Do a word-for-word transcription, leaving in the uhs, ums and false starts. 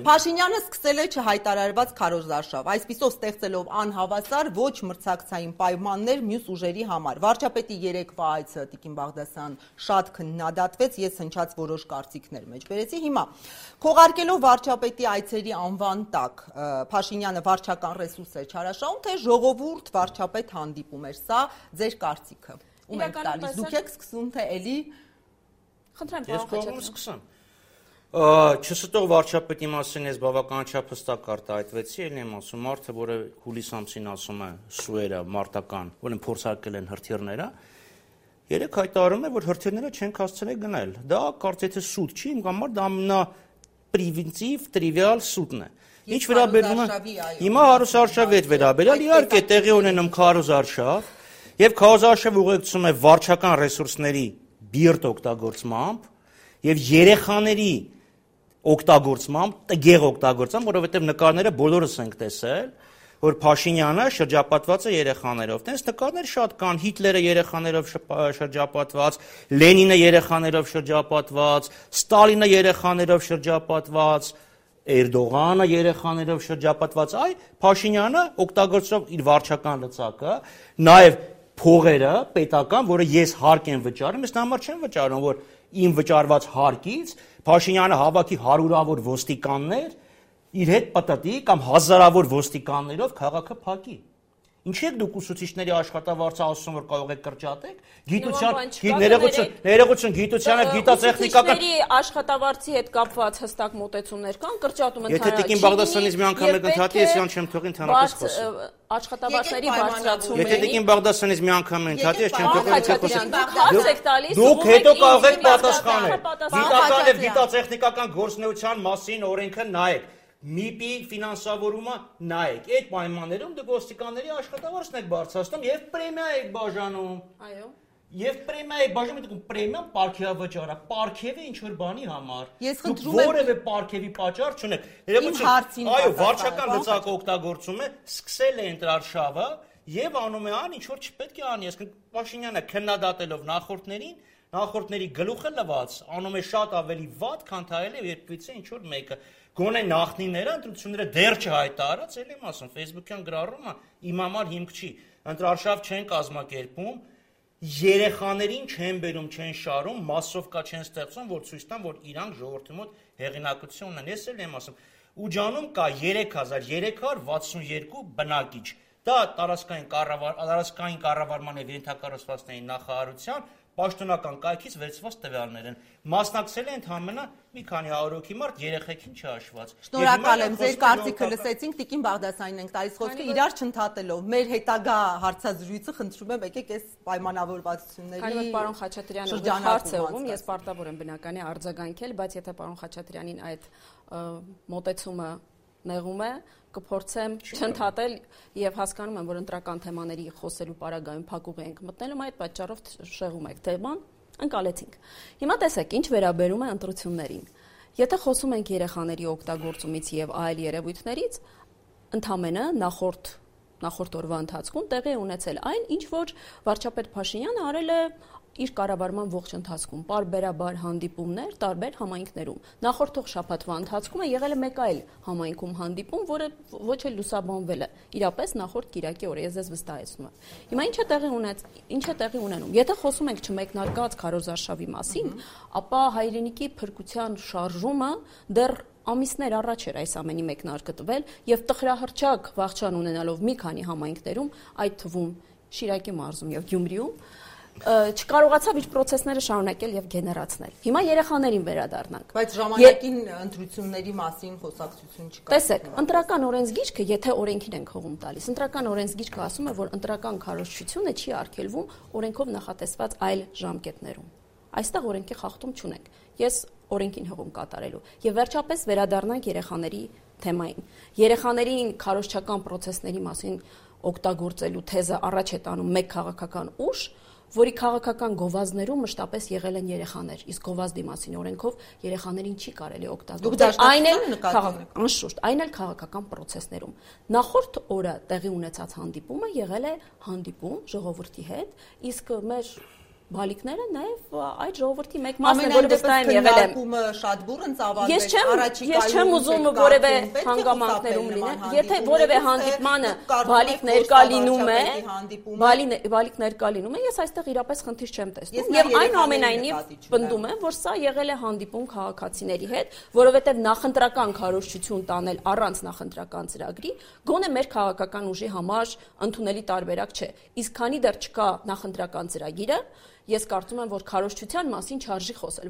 Փաշինյանը սկսել է չհայտարարված քարոզարշավ, այսպիսով ստեղծելով անհավասար ոչ մրցակցային պայմաններ մյուս ուժերի համար։ Վարչապետի երեկվա այցը Տիկին Բաղդասարյան շատ քննադատվեց, ես հնչած որոշ կարծիքներ մեջբերեցի։ Հիմա քողարկելով վարչապետի այցերի անվան տակ Փաշինյանը վարչական ռեսուրս էր չարաշահում, թե ժողովուրդ վարչապետ հանդիպում էր, սա ձեր կարծիքը։ Ում եք տալիս, դուք եք սկսում, թե էլի Խնդրեմ, պարոն Խաչատրյան։ Չստող վարչապետի մասին ես բավականաչափ հստակ արտահայտվեցի, ելն եմ ասում, մարդը, որը հուլիս ամսին ասում է սուերը մարտական, որին փորձարկել են հրթիռները, երեք հայտարարում է, որ հրթիռները չենք հասցրել գնել։ Դա կարծես թե սուտ չի, իմ համար դա ամենապրիմիտիվ, տրիվիալ սուտն է։ Ինչ վերաբերում է հիմա հարուսարշավի հետ վերաբերյալ, իհարկե տեղի ունենում քարոզարշավ, եւ քարոզարշավը ուղեկցում է վարչական ռեսուրսների բիրտ օգտագործմամբ եւ երեխաների օգտագործմամբ, տգեղ օգտագործմամբ, որովհետեւ նկարները բոլորս ենք տեսել, որ Փաշինյանը շրջապատված է երեխաներով։ Տենց նկարներ շատ կան, Հիտլերը երեխաներով շրջապատված, Լենինը երեխաներով շրջապատված, Ստալինը երեխաներով շրջապատված, Էրդողանը երեխաներով շրջապատված, այ Փաշինյանը օգտագործելով իր վարչական լծակը, նաեւ փողերը պետական, որը ես հարկ եմ վճարում, ես համար չեմ վճարում, որ իմ վճարված հարկից Փաշինյանը հավաքի հարյուրավոր ոստիկաններ իր հետ պատտի կամ հազարավոր ոստիկաններով քաղաքը փակի։ Ինչ եք դուք ուսուցիչների աշխատավարձը ասում, որ կարող եք կրճատեք, գիտության, ներողություն, ներողություն, գիտությանը, գիտատեխնիկական աշխատավարձի հետ կապված հստակ մոտեցումներ կան, կրճատում ընդհանրապես։ Եթե Տիկին Բաղդասարյանից մի անգամ եք ընդհատի, ես իրան չեմ թողին ընդհանրապես խոսել։ Աշխատավարձների բարձրացումը։ Եթե Տիկին Բաղդասարյանից մի անգամ ընդհատի, ես չեմ թողին խոսել։ Դուք հետո կարող եք պատասխանել։ Գիտական եւ գիտատեխնիկական գործունեության մասին օրենքը նայեք։ ՄԻՊ-ի ֆինանսավորումը նայեք, այդ պայմաններում դուք ոստիկանների աշխատավարձն եք բարձրացնում եւ պրեմիա եք բաժանում։ Այո։ Եվ պրեմիա եք բաժանում, դուք պրեմիան պարգևավճար է, պարգևը ինչ որ բանի համար։ Ես խնդրում եմ որևէ պարգևի պատճառ չունեք։ Ներողություն, այո, վարչական լծակը օգտագործում է, սկսել է ընտրարշավը եւ անում է ան, ինչ որ չպետք է անի, այսինքն Փաշինյանը քննադատելով նախորդներին, նախորդների գլուխը լված, անում է շատ ավելի վատ, քան թայել է երբիցե ինչ որ մեկը։ Գոնե նախնիները ընտրությունները դեռ չհայտարարած, ելի եմ ասում, Facebook-յան գրառումը իմ համար հիմք չի։ Ընտրարշավ չեն կազմակերպում, երեխաներին չեն բերում, չեն շարում, մասովկա չեն ստեղծում, որ ցույց տան, որ իրանք ժողովրդի մոտ հեղինակություն ունեն։ Ես էլ եմ ասում, Ուջանում կա երեք հազար երեք հարյուր վաթսունեքու բնակիչ։ Դա տարածքային կառավար, տարածքային կառավարման եւ ենթակառուցվածքների նախարարության պաշտոնական կայքից վերցված տվյալներ են։ Մասնակցել է ընդհանրապես մի քանի հարյուր հոգի մարդ, երեխեքին չհաշված։ Շնորհակալ եմ, ձեր կարծիքը լսեցինք, Տիկին Բաղդասարյանին ենք տալիս խոսքը, իրար չընդհատելով։ Մեր հետագա հարցազրույցը խնդրում եմ, եկեք այս պայմանավորվածությունների Հայրդ պարոն Խաչատրյանը հարց է ուղում, ես պարտավոր եմ բնական է արձագանքել, բայց եթե պարոն Խաչատրյանին այդ մոտեցումը նեղում է, կփորձեմ չընդհատել եւ հասկանում եմ, որ ընտրական թեմաների խոսելու պարագայում փակուղի ենք մտնելու, այդ պատճառով շեղում եք թեման, ընկալեցինք։ Հիմա տեսեք, ինչ վերաբերում է ընտրություններին։ Եթե խոսում ենք երեխաների օգտագործումից եւ այլ երևույթներից, ընդամենը նախորդ նախորդ օրվա ընթացքում տեղի է ունեցել այն, ինչ որ վարչապետ Փաշինյանը արել է իր կառավարման ողջ ընթացքում, պարբերաբար հանդիպումներ տարբեր համայնքներում։ Նախորդող շաբաթվա ընթացքում է եղել է մեկ այլ համայնքում հանդիպում, որը ոչ էլ լուսաբանվել է։ Իրապես նախորդ կիրակի օրը ես ձեզ վստահեցնում եմ։ Հիմա ինչ է տեղի ունեց, ինչ է տեղի ունենում։ Եթե խոսում ենք չմեկնարկած քարոզարշավի մասին, ապա հայրենիքի փրկության շարժումը դեռ ամիսներ առաջ էր այս ամենի մեկնարկը տվել եւ տխրահրճակ վախճան ունենալով մի քանի համայնքներում, այդ թվում Շիրակի մարզում եւ Գյումրիում, չկարողացավ իր process-ները շարունակել եւ գեներացնել։ Հիմա երեխաներին վերադառնանք։ Բայց ժամանակին ընտրությունների մասին խոսակցություն չկա։ Տեսեք, ընտրական օրենսգիրքը, եթե օրենքին ենք հողում տալիս, ընտրական օրենսգիրքը ասում է, որ ընտրական քարոզչությունը չի արգելվում օրենքով նախատեսված այլ ժամկետներում։ Այստեղ օրենքի խախտում չունենք։ Ես օրենքին հողում կատարելու։ Եվ վերջապես վերադառնանք երեխաների թեմային։ Երեխաներին քարոզչական process-ների մասին օգտագործելու թեզը առաջ է տանում մեկ քաղաքական ուժ, որի քաղաքական գովազդներում մշտապես եղել են երեխաներ, իսկ գովազդի մասին օրենքով երեխաներին չի կարելի օգտագործել։ Այն էլ անշուշտ, այն էլ քաղաքական process-ներում։ Նախորդ օրը տեղի ունեցած հանդիպումը եղել է հանդիպում ժողովրդի հետ, իսկ մեր բալիկները նաև այդ ժողովրդի մեկ մասն է, որը վստահ եմ եղել եմ։ Շատ բուրըն ծավալվեց, Ես չեմ ես չեմ ուզում որևէ հանգամանքներում լինեն, եթե որևէ հանդիպմանը բալիկ ներկա լինում է, բալիկ ներկա լինում է, ես այստեղ իրապես խնդիր չեմ տեսնում։ Եվ այնուամենայնիվ պնդում եմ, որ սա եղել է հանդիպում քաղաքացիների հետ, որովհետև նախընտրական քարոզչություն տանել առանց նախընտրական ծրագրի գոնե մեր քաղաքական ուժի համար ընդունելի տարբերակ չէ։ Իսկ քանի դեռ չկա նախընտրական ծրագիրը, ես կարծում եմ, որ քարոզչության մասին չարժի խոսել։